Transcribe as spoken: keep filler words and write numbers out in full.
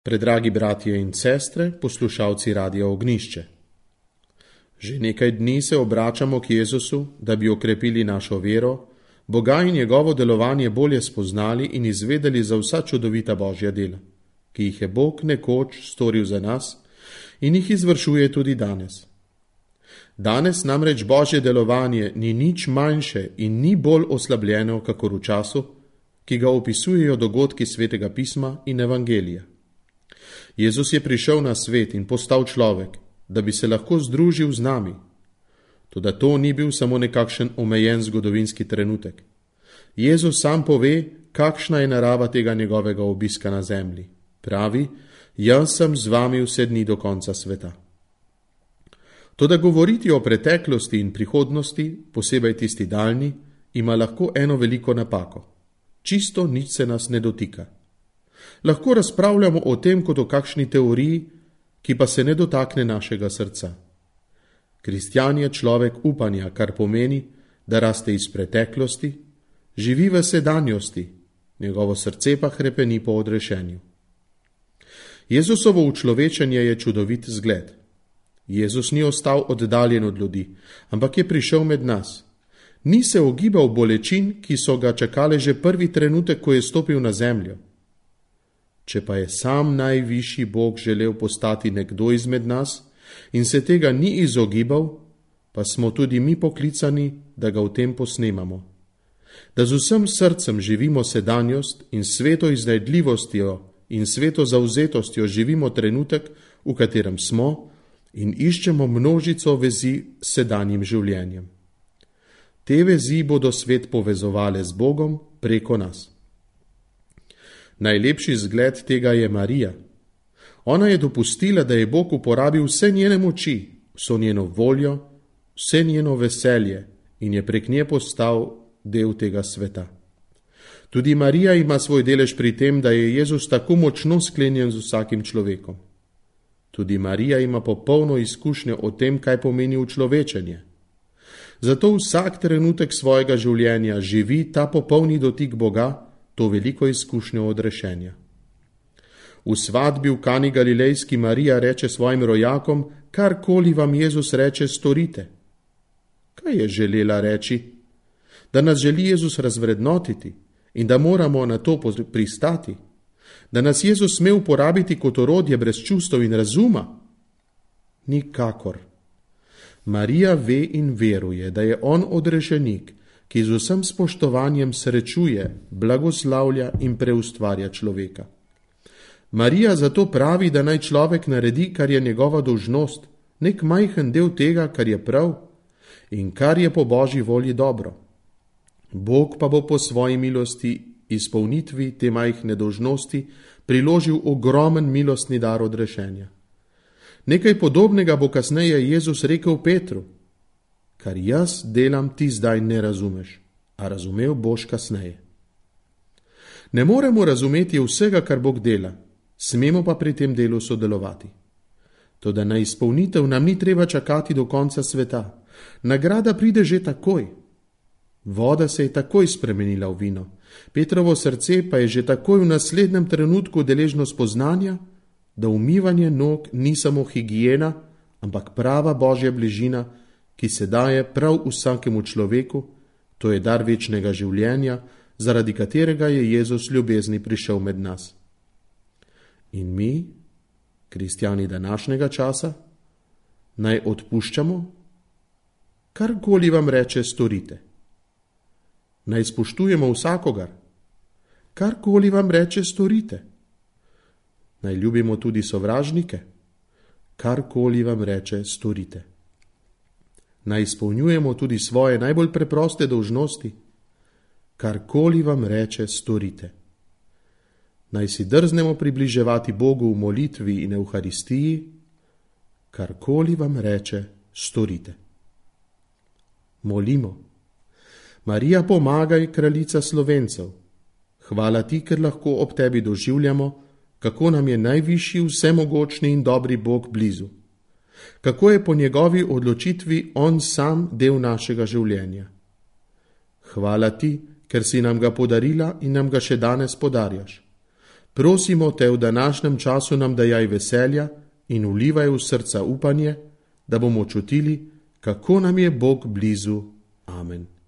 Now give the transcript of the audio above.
Predragi bratje in sestre, poslušalci Radia Ognjišče. Že nekaj dni se obračamo k Jezusu, da bi okrepili našo vero, Boga in njegovo delovanje bolje spoznali in izvedeli za vsa čudovita Božja dela, ki jih je Bog nekoč storil za nas in jih izvršuje tudi danes. Danes namreč Božje delovanje ni nič manjše in ni bolj oslabljeno, kakor v času, ki ga opisujejo dogodki Svetega pisma in Evangelija. Jezus je prišel na svet in postal človek, da bi se lahko združil z nami. Toda to ni bil samo nekakšen omejen zgodovinski trenutek. Jezus sam pove, kakšna je narava tega njegovega obiska na zemlji. Pravi, jaz sem z vami vse dni do konca sveta. Toda govoriti o preteklosti in prihodnosti, posebej tisti daljni, ima lahko eno veliko napako. Čisto nič se nas ne dotika. Lahko razpravljamo o tem kot o kakšni teoriji, ki pa se ne dotakne našega srca. Kristjan je človek upanja, kar pomeni, da raste iz preteklosti, živi v sedanjosti, njegovo srce pa hrepeni po odrešenju. Jezusovo učlovečenje je čudovit zgled. Jezus ni ostal oddaljen od ljudi, ampak je prišel med nas. Ni se ogibal bolečin, ki so ga čakale že prvi trenutek, ko je stopil na zemljo. Če pa je sam najvišji Bog želel postati nekdo izmed nas in se tega ni izogibal, pa smo tudi mi poklicani, da ga v tem posnemamo. Da z vsem srcem živimo sedanjost in sveto iznajdljivostjo in sveto zavzetostjo živimo trenutek, v katerem smo, in iščemo množico vezi s sedanjim življenjem. Te vezi bodo svet povezovale z Bogom preko nas. Najlepši zgled tega je Marija. Ona je dopustila, da je Bog uporabil vse njene moči, vso njeno voljo, vse njeno veselje in je prek nje postal del tega sveta. Tudi Marija ima svoj delež pri tem, da je Jezus tako močno sklenjen z vsakim človekom. Tudi Marija ima popolno izkušnjo o tem, kaj pomeni učlovečenje. Zato vsak trenutek svojega življenja živi ta popolni dotik Boga, to veliko izkušnjo odrešenja. V svadbi v Kani Galilejski Marija reče svojim rojakom, karkoli vam Jezus reče, storite. Kaj je želela reči? Da nas želi Jezus razvrednotiti in da moramo na to pristati? Da nas Jezus sme uporabiti kot orodje brez čustev in razuma? Nikakor. Marija ve in veruje, da je on odrešenik, ki z vsem spoštovanjem srečuje, blagoslavlja in preustvarja človeka. Marija zato pravi, da naj človek naredi, kar je njegova dolžnost, nek majhen del tega, kar je prav in kar je po Božji volji dobro. Bog pa bo po svoji milosti izpolnitvi te majhne dolžnosti priložil ogromen milostni dar odrešenja. Nekaj podobnega bo kasneje Jezus rekel Petru. Kar jaz delam, ti zdaj ne razumeš, a razumel boš kasneje. Ne moremo razumeti vsega, kar Bog dela, smemo pa pri tem delu sodelovati. Toda na izpolnitev nam ni treba čakati do konca sveta. Nagrada pride že takoj. Voda se je takoj spremenila v vino, Petrovo srce pa je že takoj v naslednjem trenutku deležno spoznanja, da umivanje nog ni samo higiena, ampak prava Božja bližina, ki se daje prav vsakemu človeku, to je dar večnega življenja, zaradi katerega je Jezus ljubezni prišel med nas. In mi, kristjani današnjega časa, naj odpuščamo? Karkoli vam reče, storite. Naj spoštujemo vsakogar? Karkoli vam reče, storite. Naj ljubimo tudi sovražnike? Karkoli vam reče, storite. Naj izpolnjujemo tudi svoje najbolj preproste dolžnosti? Karkoli vam reče, storite. Naj si drznemo približevati Bogu v molitvi in evharistiji? Karkoli vam reče, storite. Molimo. Marija, pomagaj, kraljica Slovencev. Hvala ti, ker lahko ob tebi doživljamo, kako nam je najvišji, vsemogočni in dobri Bog blizu. Kako je po njegovi odločitvi on sam del našega življenja. Hvala ti, ker si nam ga podarila in nam ga še danes podarjaš. Prosimo te v današnjem času nam dajaj veselja in vlivaj v srca upanje, da bomo čutili, kako nam je Bog blizu. Amen.